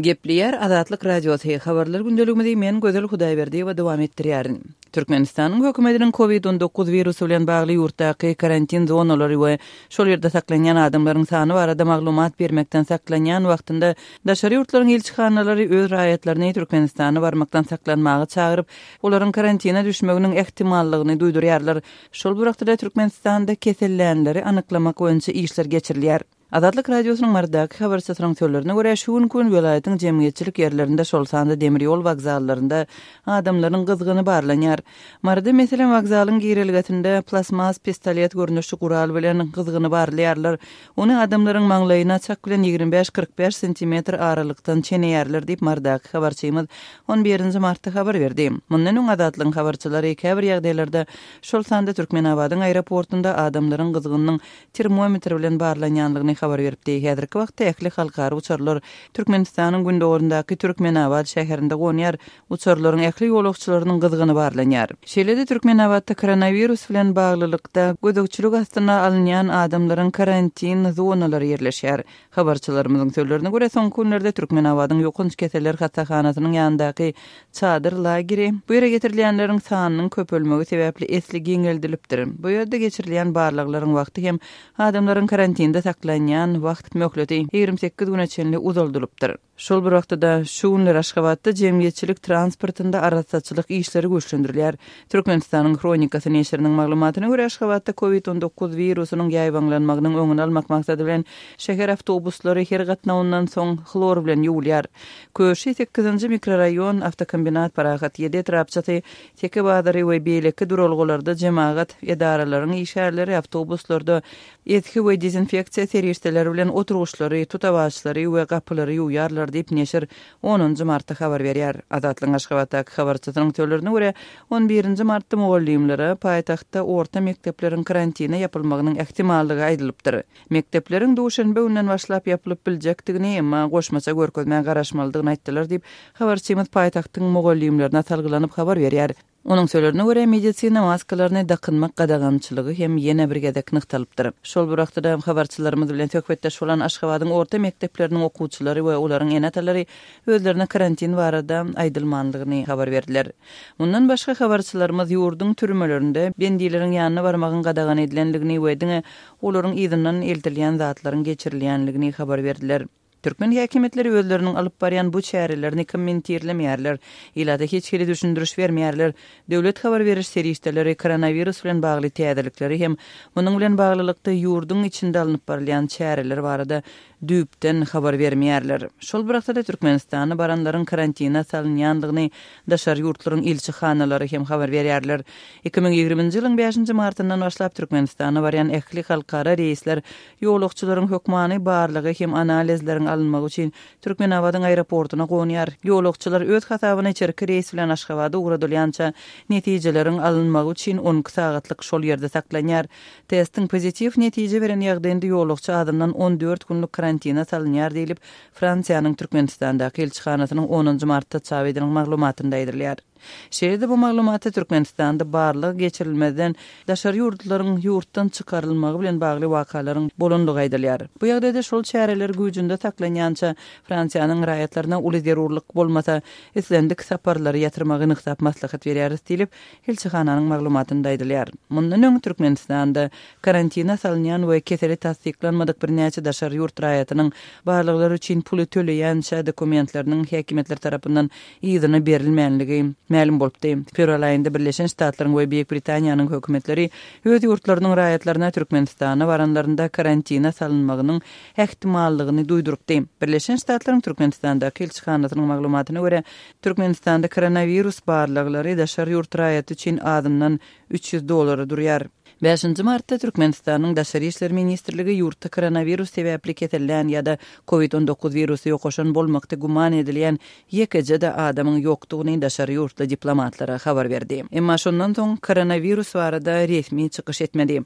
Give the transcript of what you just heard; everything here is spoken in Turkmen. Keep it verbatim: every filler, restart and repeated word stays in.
Gepleýär Azatlyk Radiosy, Habarlar gündeligimizi men Gözel Hudaýberdiýewa dowam etdirýärin. Türkmenistanyň hökümetiniň Covid on dokuz wirusy bilen bagly ýurtdaky karantin zonalary we şol ýerde saklanýan adamlaryň sany barada maglumat bermekden saklanýan wagtynda daşary ýurtlaryň ilçihanalary öz raýatlaryny Türkmenistana barmakdan saklanmaga çagyryp, olaryň karantina düşmeginiň ähtimallygyny duýdurýarlar. Şol bir wagtda Türkmenistanda kesellänleri anyklamak boýunça işler geçirilýär. Azatlyk Radiosynyň Marydaky habarçysynyň sözlerine görä, şu günki gün welaýatyň jemgyýetçilik ýerlerinde, şol sanda demir ýol wokzallarynda adamlaryň gyzgyny barlanýar. Maryda, meselem, wokzalyň girelgesinde plasmas pistolet görnüşli gural bilen gyzgyny barlaýarlar. Ony adamlaryň maňlaýyna çak bilen ýigrimi bäş kyrk bäş sentimetr aralykdan çeneýärler diýip, Marydaky habarçymyz on birinji martda habar berdi. Mundan öň Azatlygyň habarçylary käbir ýagdaýlarda, şol sanda Türkmenabadyň aeroportunda adamlaryň gyzgynynyň termometr bilen barlanýanlygyny habar beripdi. Häzirki wagtda ähli halkara uçarlar Türkmenistanyň gündogaryndaky Türkmenabat şäherinde gonýar. Uçarlaryň ähli ýolagçylarynyň gyzgyny barlanýar. Şeýle-de Türkmenabatda koronawirus bilen baglylykda gözegçilik astyna alynýan adamlaryň karantin zonalary ýerleşýär. Habarçylarymyzyň sözlerine görä, soňky günlerde Türkmenabadyň ýokanç keseller hassahanasynyň ýanyndaky çadyr lageri bu ýere getirilýänleriň sanynyň köpelmegi sebäpli esli giňeldilipdir. Bu ýerde geçirilýän barlaglaryň wagty hem adamlaryň karantinde saklanýan wagt möhleti ýigrimi sekiz güne çenli uzaldylypdyr. Şol bir wagtda şu günler Aşgabatda jemgyýetçilik transportynda arassaçylyk işleri güýçlendirilýär. Türkmenistanyň Hronikasy neşiriniň maglumatyna görä, Aşgabatda Covid on dokuz wirusynyň ýaýbaňlanmagynyň öňüni almak maksady bilen şäher awtobuslary her gatnawyndan soň hlor bilen ýuwulýar. Köşi sekizinji mikroraýon, awtokombinat Parahat ýedi etrapçasy, Teke bazary we beýleki duralgalarda jemagat edaralaryň işgärleri awtobuslarda etki we dezinfeksiýa serişdeleri bilen oturgyçlary, tutawaçlary we gapylary ýuwýarlar diýip neşir onunjy martda habar berýär. Azatlygyň Aşgabatdaky habarçysynyň sözlerine görä, on birinji martda mugallymlara paýtagtda orta mekdepleriň karantina ýapylmagynyň ähtimallygy aýdylypdyr. Mekdepleriň duşenbe günden başlap ýapylyp biljekdigini, emma goşmaça görkezmä garaşmalydygyny aýtdylar diýip, habarçymyz paýtagtyň mugallymlaryna salgylanyp habar berýär. Onuň sözlerine görä, medisina maskalaryny dakynmak gadagançylygy hem ýene bir gezek nygtalypdyr. Şol bir wagtda habarçylarymyz bilen söhbetdeş bolan Aşgabadyň orta mekdepleriniň okuwçylary we olaryň ene-atalary özlerine karantin barada aýdylmanlygyny habar berdiler. Mundan başga habarçylarymyz ýurduň türmelerinde bendileriň ýanyna barmagyň gadagan edilenligini we diňe olaryň yzyndan eltilýän zatlaryň geçirilýänligini habar berdiler. Türkmen häkimiýetleri özleriniň alyp barýan bu çärelerini kommentirlemeýärler. Ilata hiç hili düşündiriş bermeýärler. Döwlet habar beriş serişdeleri koronawirus bilen bagly täzelikleri hem munuň bilen baglylykda ýurduň içinde alnyp barylýan çäreler barada düýpden habar bermeýärler. Şol bir wagtda Türkmenistana baranlaryň karantina salynýandygyny daşary ýurtlaryň ilçihanalary hem habar berýärler. iki müň ýigriminji ýylyň bäşinji martyndan başlap Türkmenistana barýan ähli halkara reýsler ýolagçylaryň hökmany barlygy hem analizleriň alynmagy üçin Türkmenabadyň aeroportuna gonýar. Ýolagçylar öz hasabyna içerki reýs bilen Aşgabada ugradylýança netijeleriň alynmagy üçin on iki sagatlyk şol ýerde saklanýar. Testiň pozitiw netije beren ýagdaýynda ýolagçy azyndan on dört günlük karantina salynýar diýlip, Fransiýanyň Türkmenistandaky ilçihanasynyň onunjy martda çap edilen maglumatynda aýdylýar. Şeýle-de bu maglumatda Türkmenistanda barlyk geçirilmezden daşary ýurtlaryň ýurtdan çykarylmagy bilen bagly wakalaryň bolanlygy aýdylýar. Bu ýagdaýda şol çäreler güýjünde saklanýança Fransiýanyň raýatlaryna uly zerurlyk bolmasa, islendik saparlary ýatyrmagy nygtap maslahat berýäris diýlip, ilçihananyň maglumatynda aýdylýar. Mundan öň Türkmenistanda karantina salynýan we keseli tassyklanmadyk birnäçe daşary ýurt raýatynyň barlyklar üçin puly töleýänçä dokumentleriniň häkimiýetler tarapyndan yzyna berilmänligi mälim bolupdy. Fewral aýynda Birleşen Ştatlaryň we Beýik Britaniýanyň hökümetleri öz ýurtlarynyň raýatlaryna Türkmenistana baranlarynda karantina salynmagynyň ähtimallygyny duýdurypdy. Birleşen Ştatlaryň Türkmenistandaky ilçihanasynyň maglumatyna görä, Türkmenistanda koronawirus barlyklary daşary ýurt raýaty üçin azyndan üç ýüz dollara durýar. Bäşinji martda Türkmenistanyň Daşary işler ministrligi ýurtda koronawirus sebäpli kesellän ýa-da Covid on dokuz wirusy ýokaşan bolmakda güman edilýän ýekeje-de adamyň ýokdugyny daşary ýurtly diplomatlara habar berdi. Emma şondan soň koronawirus barada resmi çykyş etmedi.